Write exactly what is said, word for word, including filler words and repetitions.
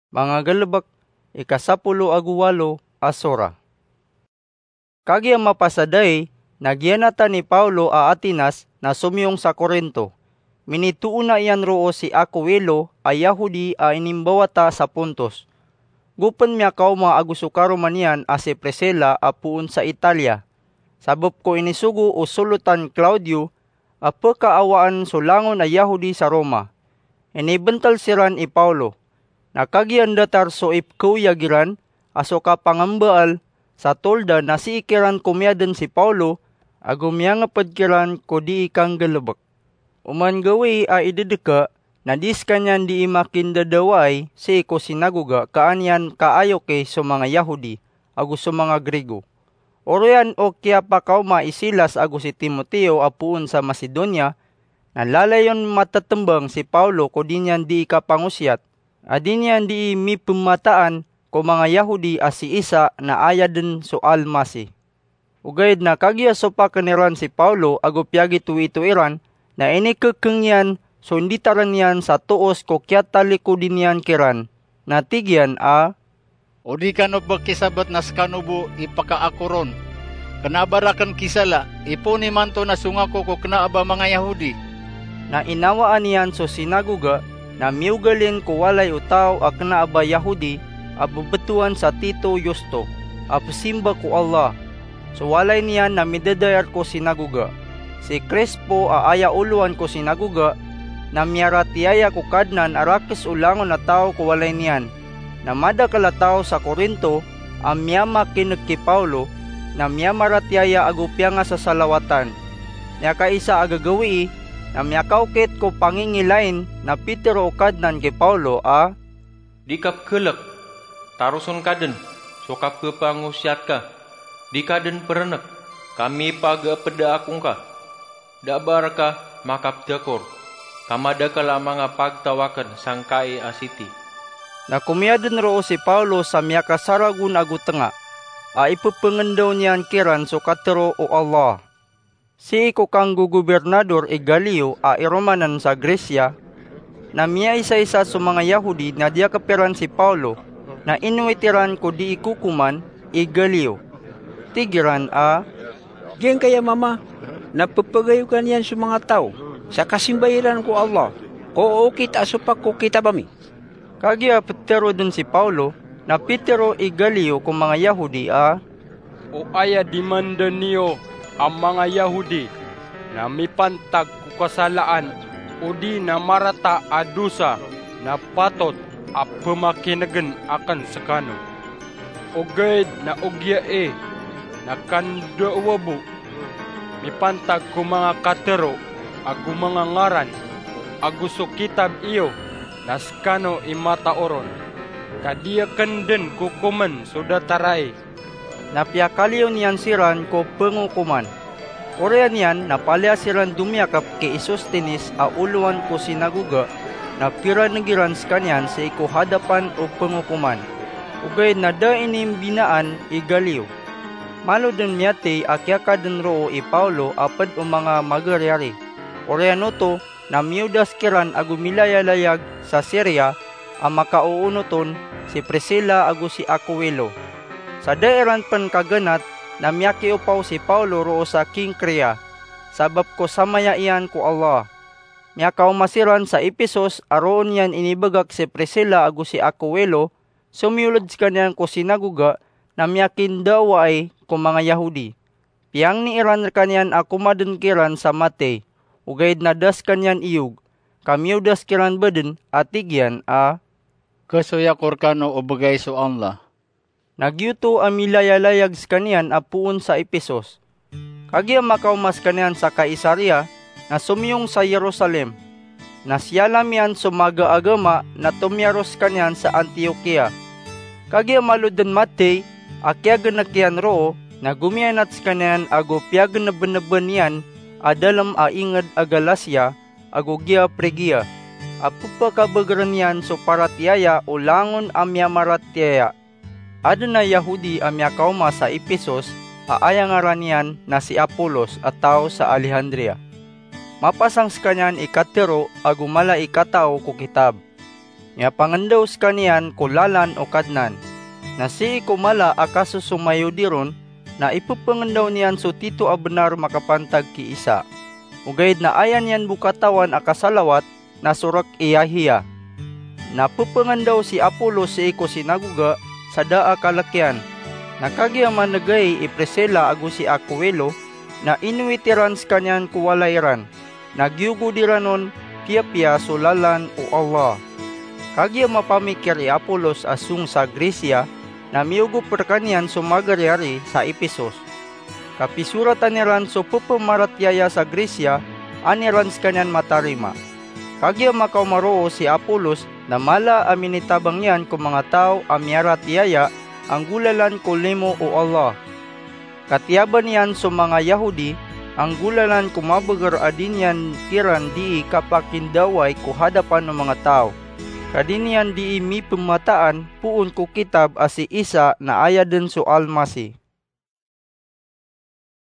Mangagalebek, ika sapolo ago walo a sora. Kagiya mapasadai, na giyanatan i Pawlo a Atenas na somiyong sa Corinto. Minitoona iyan roo si Aquilo a Yahudi a inimbawata sa Pontos. Go pen miyakaoma ago so karoma niyan a si Priscilla a poon sa Italia. Sabap ko inisogo o solotan Claudio a pekaawaan so langon a Yahudi sa Roma. Inibentel siran i Pawlo. Na kagiya ndatar so ipekaoyag iran a so kapangambaal sa tolda na sii kiran komiyaden si Pawlo, ago miyangeped kiran ko dii kanggalebek. Oman gawii a idedeka, na di sekaniyan dii makindadawaay sii ko sinagoga ka an iyan kaayoki so manga Yahudi ago so manga Grigo. Oriyan o kiyapakaoma i Silas ago si Timoteo a poon sa Macedonia, na lalayon matetembang si Pawlo ko di niyan dii kapangosiyat, a di niyan dii mipemataan ko manga Yahudi a si Isa na aya den so Almasih. Ogaid na kagiya sopaken iran si Pawlo ago piyagitoito iran, na inikekeng iyan so inditaren iyan sa toos ko kiyatalikodi niyan kiran, na tig iyan a, "O di kano pekisabat na sekano bo i pekaakoron. Kena a ba raken kisala, ipoon imanto na songako ko kena a ba manga Yahudi." Na inawaan iyan so sinagoga, na miyogalin ko walay o taw a kena a ba Yahudi a bebetowan sa Tito Yusto, a pesimba ko Allah. So walay niyan na midadayar ko sinagoga. Si Crispo a aya olowan ko sinagoga, na miyaratiyaya ko Kadnan a rakes o langon a taw ko walay niyan. Na madakel a taw sa Corinto a miyamakineg ki Pawlo, na miyamaratiyaya ago piyangasasalawatan. Miyakaisa a gagawii, na miyakaokit ko pangingilain na pitero o Kadnan ki Pawlo a, "Di ka pekelek, tarosen ka den so kapepangosiyat ka. Di ka den perenek, ka mipageeped ako ngka. Da a ba reka makapedakor, ka madakel a manga pagtaw aken sangkai a siti." Na komiyaden roo si Pawlo sa miyakasaragon ago tenga, a ipepengendaw niyan kiran so katero o Allah. Sii ko kanggogobirnador i Galio a iromanan sa Grecia, na miyaisaisa so manga Yahudi na diyakep iran si Pawlo, na inowit iran ko dii kokoman i Galio. Tig iran a, "Giyangkaya mama na pepagayokan iyan so manga taw sa kasimba iran ko Allah ko ookit a sopak ko kitab ami." Kagiya petero den si Pawlo, na pitero i Galio ko manga Yahudi a, "O aya dimanda niyo a manga Yahudi na mipantag ko kasalaan odi na marata a dosa na patot a pemakinegen aken sekano. Ogaid na ogiya i na kandaowa bo mipantag ko manga katero ago manga ngaran ago so kitab iyo na sekano i mataoron, ka di aken den kokomen so datar ai." Na piyakaliyo niyan siran ko pengokoman. Oriyan iyan na palaya siran domiyakep ki Sostenes a olowan ko sinagoga, na piraneg iran sekaniyan sii ko hadapan o pengokoman. Ogaid na da inimbinaan i Galio. Malo den miyatey a kiyakaden roo i Pawlo a ped o manga magariyari. Oriyan oto, na miyodas kiran ago milayalayag sa Siria a makaoonoton si Priscilla ago si Aquilo. Sa da iran pen kaganat na miyakiopaw si Pawlo roo sa Kenkrea, sabap ko samaya iyan ko Allah. Miyakaoma siran sa Ephesus a roo niyan inibagak si Priscilla ago si Aquilo, somiyoled sekaniyan ko sinagoga na miyakindaowaay ko manga Yahudi. Piyangni iran rekaniyan a komaden kiran sa matey, ogaid na da sekaniyan iyog, ka miyodas kiran baden a tig iyan a, "Kasoya ko rekano o begay so Allah." Na giyoto a milayalayag sekaniyan a poon sa Ephesus. Kagiya makaoma sekaniyan sa Kaisaria, na somiyong sa Jerusalem. Na siyalam iyan so magaagama na tomiyaros sekaniyan sa Antiokia. Kagiya malo den matey a kiyagenek iyan roo, na gomiyanat sekaniyan ago piyagenebeneben iyan a dalem a inged a Galatia ago giya Phrygia, a pepakabageren iyan so paratiyaya o langon a miyamaratiyaya. Aden a Yahudi a miyakaoma sa Ephesus a aya ngaran iyan na si Apolos a taw sa Alejandria. Mapasang sekaniyan i katero ago mala i katao ko kitab. Miyapangendaw sekaniyan ko lalan o Kadnan. Na sii ko mala a kaso so mayodi ron, na ipepengendaw niyan so tito a benar makapantag ki Isa. Ogaid na aya niyan bo katawan a kasalawat, na so rek i Yahiya. Na pepengendaw si Apolos sii ko sinagoga sa da a kalek iyan. Na kagiya manegay i Priscilla ago si Aquilo, na inowit iran sekaniyan ko walay iran. Na giyogod iran on piyapiya so lalan o Allah. Kagiya mapamikir i Apolos a song sa Grecia, na miyogop rekaniyan so magariyari sa Ephesus. Kapisoratan iran so pepemaratiyaya sa Grecia, an iran sekaniyan matarima. Kagiya makaoma roo si Apolos, na mala a minitabang iyan ko manga taw a miyaratiyaya a nggolalan ko limo o Allah. Katiyaban iyan so manga Yahodi a nggolalan ko mabeger a di niyan kiran dii kapakindaway ko hadapan o manga taw, ka di niyan dii mipemataan poon ko kitab a si Isa na aya den so Almasih.